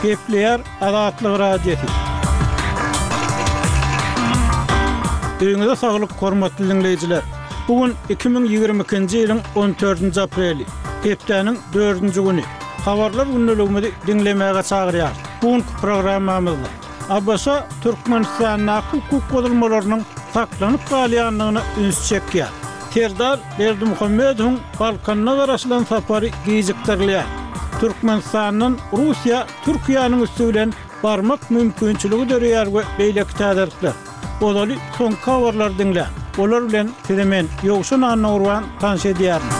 Gepleýär Azatlyk Radiosy. Öýüňize saglyk, hormatly diňleýjiler! Bu gün 2022-nji ýylyň on dördünji apreli, hepdäniň dördünji güni. Habarlar gündeligimizi diňlemäge çagyrýarys. Bu günki programmamyzda ABŞ Türkmenistandaky hukuk bozulmalarynyň saklanyp galýandygyna üns çekýär. Serdar Berdimuhamedowyň Balkanda garaşylan sapary gijikdirilýär. Türkmenistandan Russiýa Türkiýäniň üsti bilen barmak mümkinçiligi döreýär we beýleki täzelikler. Ozaly soňky habarlary diňläň. Olar bilen sizi men, Ýowşan Annagurban tanyş edýärin.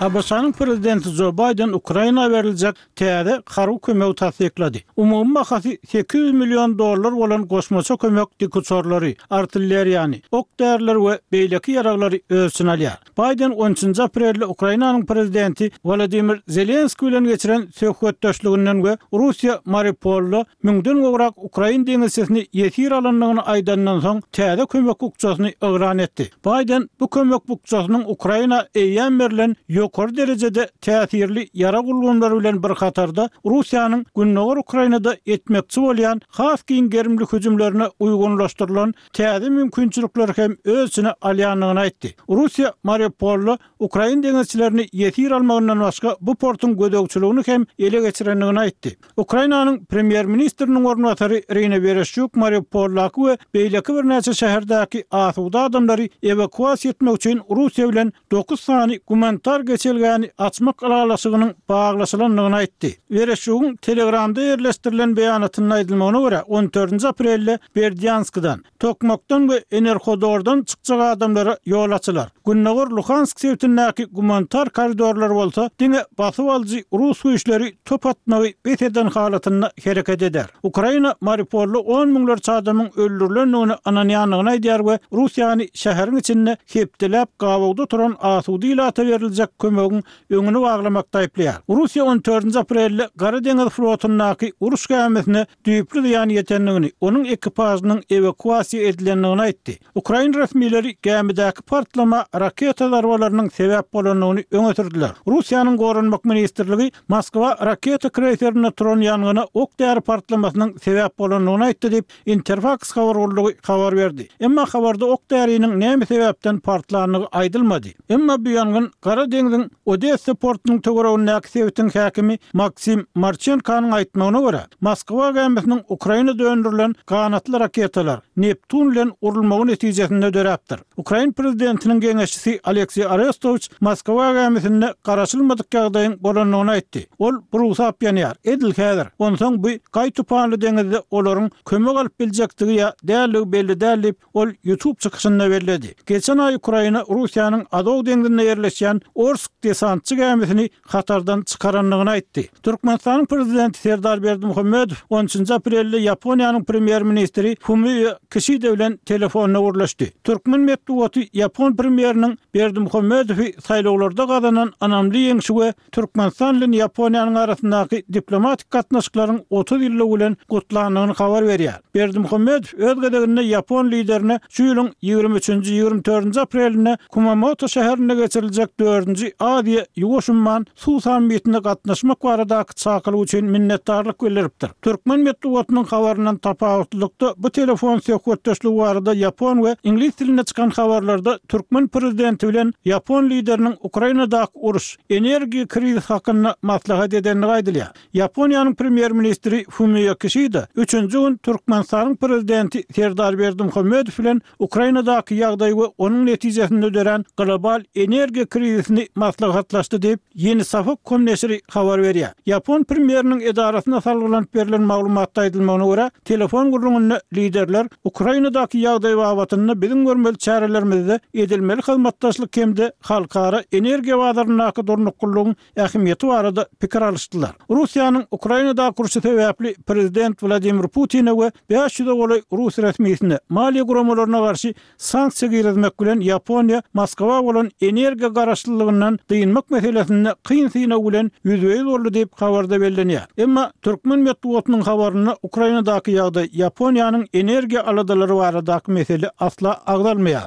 ABŞ-nyň prezidenti Jo Baýden Ukraina beriljek täze harby kömegi tassyklady. Umumy bahasy 800 million dollar bolan goşmaça kömek dikuçarlary, artilleriýany, ok-därileri we beýleki ýaraglary öz içine alýar. Baýden on üçünji aprelde Ukrainanyň prezidenti Wolodymyr Zelenskiý bilen geçiren söhbetdeşliginden we Russiýa Mariupolda müňden gowrak ukrain deňizçisini ýesir alandygyny aýdandan soň täze kömek bukjasyny yglan etdi. Baýden bu kömek bukjasynyň Ukraina eýýäm berlen ýokary derejede täsirli ýarag ulgamlary bilen bir hatarda Russiýanyň gündogar Ukrainada etmekçi bolýan has giň gerimli hüjümlerine uýgunlaşdyrylan täze mümkinçilikleri hem öz içine alýandygyny aýtdy. Russiýa Mariupolda ukrain deňizçilerini ýesir almagyndan başga bu portuň gözegçiligini hem ele geçirendigini aýtdy. Ukrainanyň premýer-ministriniň orunbasary Irina Wereşçuk Mariupoldaky we beýleki birnäçe şäherdäki asuda adamlary ewakuasiýa etmek üçin Russiýa bilen dokuz sany gumanitar geçelgäni açmak ylalaşygynyň baglaşylandygyny aýtdy. Wereşçugyň Telegramda ýerleşdirilen beýanatynda aýdylmagyna görä, on dördünji aprelde Berdýanskdan, Tokmakdan we Enerhodordan çykjak adamlara ýol açylar. Gündogar Luhansk sebitindäki gumanitar koridorlar bolsa diňe basyp alyjy rus güýçleri top atmagy bes eden halatynda hereket eder. Ukraina Mariupolda on müňlerçe adamyň öldürilendigine ynanýandygyny aýdýar we Russiýany şäheriň içinde hepdeläp gabawda oturan asuda ilata beriljek kömegiň öňüni baglamakda aýyplaýar. Russiýa on dördünji aprelde Gara deňiz flotundaky uruş gämisine düýpli zyýan ýetendigini, onuň ekipažynyň ewakuasiýa edilendigini aýtdy. Ukrain resmileri gämidäki partlama raketa zarbalarynyň sebäp bolandygyny öňe sürdüler. Russiýanyň Goranmak ministrligi Moskwa raketa kreýserinde turan ýangyna ok-däri partlamasynyň sebäp bolandygyny aýtdy diýip, Interfaks habar gullugy habar berdi. Emma habarda ok-däriniň näme sebäpden partlandygy aýdylmady. Emma bu ýangyn Gara deňziň Odessa portunyň töweregindäki sebitiň häkimi Maksim Marçenkonyň aýtmagyna görä, Moskwa gämisiniň Ukrainada öndürilen ganatly raketalar, Neptun bilen urulmagy netijesinde döräpdir. Ukrain prezidentiniň geňeşçisi Alekseý Arestowiç Moskwa gämisinde garaşylmadyk ýagdaýyň bolandygyny aýtdy. Ol burugsap ýanýar, edil häzir. Onsoň bu gaý-tupanly deňizde olaryň kömek alyp biljekdigi ýa däldigi belli däl diýip, Ol YouTube çykyşynda belledi. Geçen aý Ukraina Russiýanyň Azow deňzinde ýerleşýän Orsk desantçy gämisini hatardan çykarandygyny aýtdy. Türkmenistanyň Prezidenti Serdar Berdimuhamedow on üçünji aprelde Ýaponiýanyň Premýer-ministri Fumio Kişida bilen telefonda gürleşdi. Türkmen metbugaty ýapon premýeriniň Berdimuhamedowy saýlawlarda gazanan ynamly ýeňşi we Türkmenistan bilen Ýaponiýanyň arasyndaky diplomatik gatnaşyklaryň 30 ýyllygy bilen gutlandygyny habar berýär. Berdimuhamedow öz gezeginde ýapon liderine şu ýylyň ýigrimi üçünji, ýigrimi dördünji aprelinde Kumamoto şäherinde geçiriljek dördünji Aziýa, Ýuwaş umman suw sammitine gatnaşmak baradaky çakylyk üçin minnetdarlyk bildiripdir. Türkmen metbugatynyň habaryndan tapawutlylykda, bu telefon söhbetdeşligi barada ýapon we iňlis dilinde çykan habarlarda türkmen prezidenti bilen ýapon lideriniň Ukrainadaky uruş, energiýa krizisi hakynda maslahat edendigi aýdylýar. Ýaponiýanyň premýer-ministri Fumio Kişida üçünji gün Türkmenistanyň prezidenti Serdar Berdimuhamedow bilen Ukrainadaky ýagdaý we onuň netijesinde dörän global energiýa krizisini maslahatlaşdy diýip, Ýeni Safak com neşiri habar berýär. Ýapon premýeriniň edarasyna salgylanyp berlen maglumatda aýdylmagyna görä, telefon gürrüňinde liderler Ukrainadaky ýagdaý babatynda biziň görmeli çärelerimizde edilmeli hyzmatdaşlyk hem-de halkara energiýa bazaryndaky durnuklylygyň ähmiýeti barada pikir alyşdylar. Russiýanyň Ukrainadaky urşy sebäpli prezident Wladimir Putine we 500-e golaý rus resmisine, maliýe guramalaryna garşy sanksiýa girizmek bilen Ýaponiýa Moskwa bolan energiýa garaşlylygyndan dynmak meselesinde kyn synag bilen ýüzbe-ýüz boldy diýip, habarda bellenýär. Emma türkmen metbugatynyň habarynda Ukrainadaky ýagdaý, Ýaponiýanyň energiýa aladalary baradaky mesele asla agzalmaýar.